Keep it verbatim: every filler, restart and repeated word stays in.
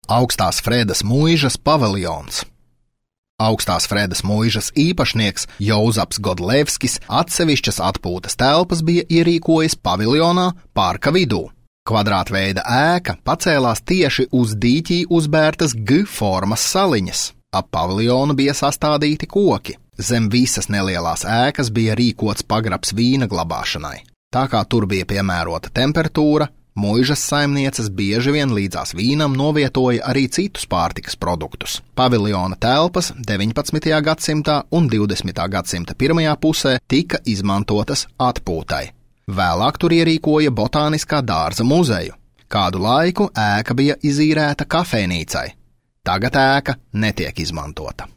Augstās Fredas muižas paviljons. Augstās Fredas muižas īpašnieks Jozaps Godlevskis atsevišķas atpūtas telpas bija ierīkojis paviljonā parka vidū. Kvadrātveida ēka pacēlās tieši uz dīķī uzbērtas G formas saliņas. Ap paviljonu bija sastādīti koki. Zem visas nelielās ēkas bija rīkots pagrabs vīna glabāšanai. Tā kā tur bija piemērota temperatūra, muižas saimnieces bieži vien līdzās vīnam novietoja arī citus pārtikas produktus. Paviljona telpas deviņpadsmitajā gadsimtā un divdesmitā gadsimta pirmajā pusē tika izmantotas atpūtai. Vēlāk tur ierīkoja botāniskā dārza muzeju. Kādu laiku ēka bija izīrēta kafejnīcai. Tagad ēka netiek izmantota.